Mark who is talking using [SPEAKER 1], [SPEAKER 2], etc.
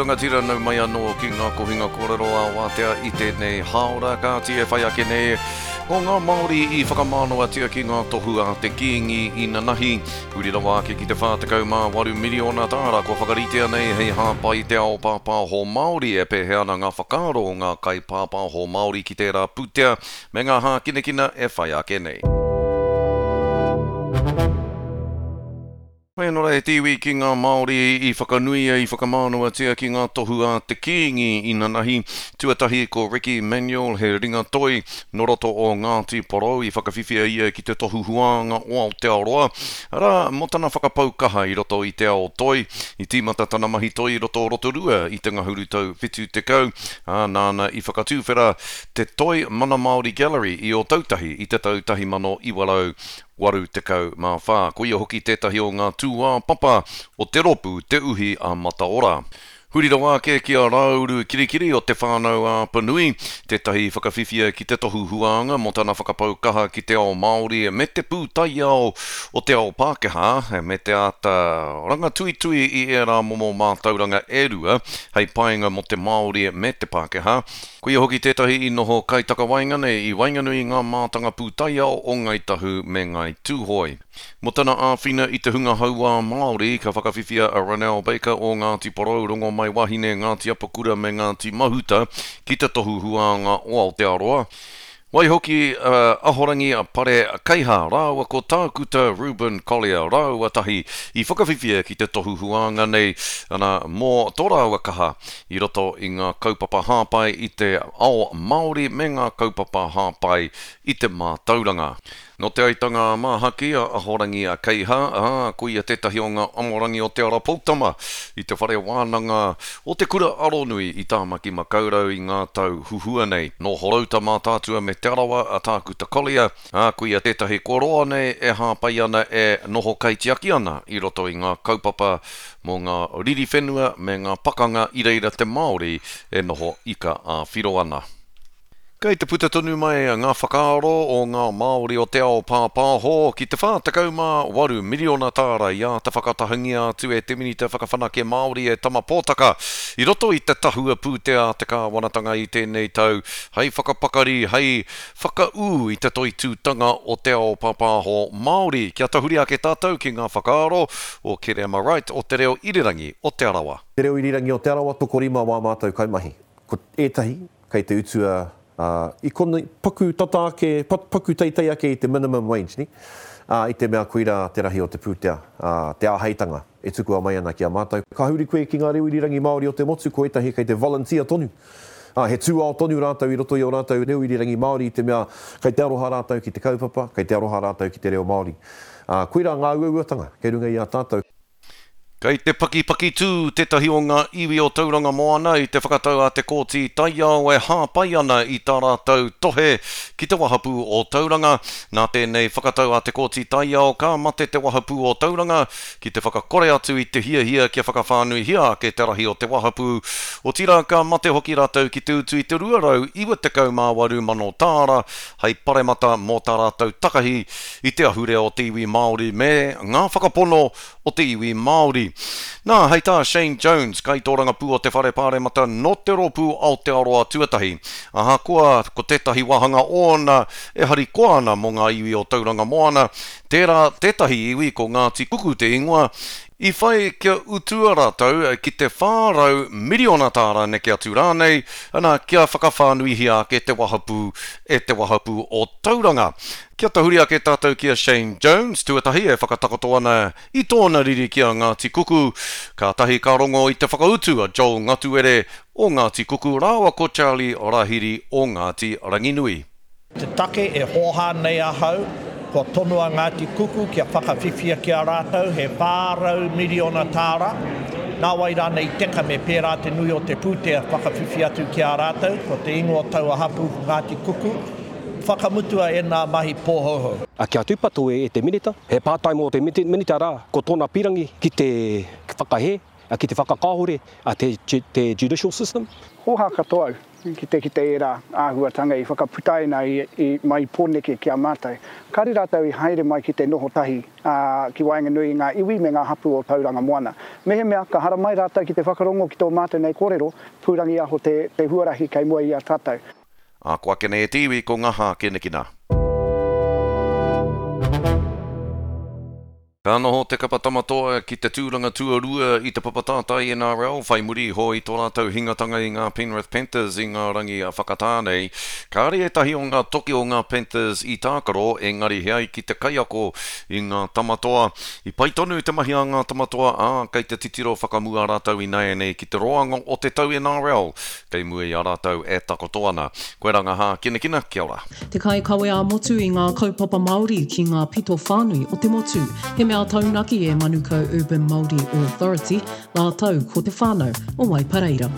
[SPEAKER 1] rangatira nau mai anō ki ngā kohinga kōrero ā wātea i tēnei hāora kāti e whai ake nei ko ngā Māori i whakamānawatia ki ngā tohu a te Kīngi inanahi huri rawa ake ki te 48 miriona tāra kua whakaritea nei hei hāpai i te ao pāpāho Māori e pēhea ana ngā whakaaro o ngā kaipāpāho Māori ki tērā pūtea me ngā hākinakina e whai ake nei. Mēnā e te iwi ki ngā Māori i whakanuia, i whakamānawatia ki ngā tohu a te Kīngi inanahi. Tuatahi ko Ricky Manuel, he ringa toi nō roto o Ngāti Porou i whakawhiwhia ia ki te tohu huānga o Aotearoa, arā, mō tana whakapau kaha i roto i te ao toi. I tīmata tana mahi toi i roto o Rotorua i te ngahuru tau 70, ā, nāna i whakatuwhera te Toi Mana Māori Gallery i Ōtautahi i te tau 1900. 84. Koia hoki tētahi o ngā tūāpapa o te rōpū Te Uhi a Mataora. Huri rawa ake ki a Rāuru Kirikiri o Te Whānau-a-Apanui, tētahi whakawhiwhia ki te tohu huānga mō tana whakapau kaha ki te ao Māori me te pūtaiao o te ao Pākehā, me te āta rangatuitui i ērā momo mātauranga e rua hei painga mō te Māori me te Pākehā. Koia hoki tētahi i noho kaitakawaenga nei i waenganui i ngā mātanga pūtaiao o Ngāi Tahu me Ngāi Tūhoe. Mō tana āwhina i te hunga hauā Māori, ka whakawhiwhia a Ronell Baker o Ngāti Porou, Rongomaiwahine, Ngāti Apakura me Ngāti Mahuta ki te Tohu Huānga o Aotearoa. Waihoki a Ahorangi Pare Keiha rāua ko Tākuta Reuben Collier rāua tahi i whakawhiwhia ki te tohu huānga nei, ana, mō tō rāua kaha i roto i ngā kaupapa hāpai i te ao Māori me ngā kaupapa hāpai i te mātauranga. Nō Te Aitanga-a-Māhaki a Ahorangi Keiha, ā, ko ia tētahi o ngā amorangi o Te Ara Poutama i te whare wānanga o Te Kura Aronui i Tāmaki-makau-rau i ngā tau huhua nei. Nō Horouta Mātaatua me Te Arawa a Tākuta Collier, ā, ko ia tētahi kua roa nei e hāpai ana e noho kaitiaki ana i roto i ngā kaupapa mō ngā riri whenua me ngā pakanga i reira te Māori e noho ika ā-whiro ana. Kei te puta tonu mai ngā whakaaro o ngā Māori o te ao pāpāho ki te 48 miriona tāra i āta whakatahangia atu e te Minita Whakawhanake Māori e Tama Potaka i roto i te tahua pūtea a te kāwanatanga i tēnei tau hei whakapakari, hei whakaū i te toitūtanga o te ao pāpāho Māori. Kia tahuri ake tātou ki ngā whakaaro o Kereama Wright o Te Reo Irirangi o Te Arawa.
[SPEAKER 2] Te Reo Irirangi o Te Arawa, tokorima wā mātou kaimahi. Ko ētahi kei te utua, ā, i konei, paku tata ake, paku teitei ake i te minimum wage, nē? Ā, i te mea koirā te rahi o te pūtea, ā, te āheitanga e tukua mai ana ki a mātou. Ka huri koe ki ngā reo irirangi Māori o te motu, ko ētahi kei te volunteer tonu. Ā, he tūao tonu rātou i roto i ō rātou reo irirangi Māori i te mea kei te aroha rātou ki te kaupapa, kei te aroha rātou ki te reo Māori. Ā, koirā ngā uauatanga kei runga i a tātou.
[SPEAKER 1] Kei te pakipakitū tētahi o ngā iwi o Tauranga Moana i te whakatau a te Kōti Taiao e hāpai ana i tā rātou tohe ki te wahapū o Tauranga. Nā tēnei whakatau a te Kōti Taiao ka mate te wahapū o Tauranga ki te whakakore atu i te hiahia kia whakawhānuihia ake te rahi o te wahapū, otirā ka mate hoki rātou ki te utu i te 298 mano tāra hei paremata mō tā rātou takahi i te ahurea o te iwi Māori me ngā whakapono o te iwi Māori. Nā, hei tā Shane Jones, kaitōrangapū o te Whare Pāremata nō te rōpū Aotearoa Tuatahi, ahakoa ko tētahi wāhanga ōna e harikoa ana mō ngā iwi o Tauranga Moana, tērā tētahi iwi ko Ngāti Kuku te ingoa, i whai kia utua rātou ki te 400 miriona tāra neke atu rānei, ana, kia whakawhānuihia ake te wahapū e te wahapū o Tauranga. Kia tahuri ake tātou ki a Shane Jones, tuatahi e whakatakoto ana i tōna riri ki a Ngāti Kuku, kātahi ka rongo i te whakautu a Joel Ngatuere o Ngāti Kuku rāua ko Charlie Rahiri o Ngāti Ranginui.
[SPEAKER 3] Te take e hōhā nei ahau, kua tonoa Ngāti Kuku kia whakawhiwhia ki a rātou he 400 miriona tāra, nāwai rānei i teka me pērā te nui o te pūtea whakawhiwhi atu ki a rātou, ko te ingoa o taua hapū ko Ngāti Kuku. Whakamutua ēnā mahi pōhouhou.
[SPEAKER 4] A kia tūpato e te Minita. He pātai mō te Minita rā, ko tōna pirangi ki te whakahē, ki te whakakāhore te judicial system.
[SPEAKER 5] Hōhā katoa au. ki te kite ērā āhuatanga i whakaputaina i mai Pōneke ki a mātou. Kāre rātou i haere mai ki te noho tahi ki waenganui i ngā iwi me ngā hapū o Tauranga Moana. Mehemea ka haramai rātou ki te whakarongo ki tō mātou nei kōrero, pūrangiaho te te huarahi kei mua i a tātou.
[SPEAKER 1] Ā, ko ake nei e te iwi ko ngā hākinakina. Ka noho te kapa Tama Toa ki te tūranga tuarua i te papa tātai NRL whai muri iho i tō rātou hingatanga i ngā Penrith Panthers i ngā rangi whakatā nei. Kāre ētahi o ngā toki o ngā Panthers i tākaro, engari he ai ki te kaiako i ngā Tama Toa. I pai tonu te mahi a ngā Tama Toa, ā, kei te titiro whakamua rātou ināianei ki te roanga o te tau NRL kei mua i a rātou e takoto ana. Koirā ngā hākinakina, kia ora.
[SPEAKER 6] Te kaikawe ā-motu i ngā kaupapa Māori ki ngā pito whānui o te motu. He mea taunaki e Manukau Urban Māori Authority rātou ko te whānau o Waipareira.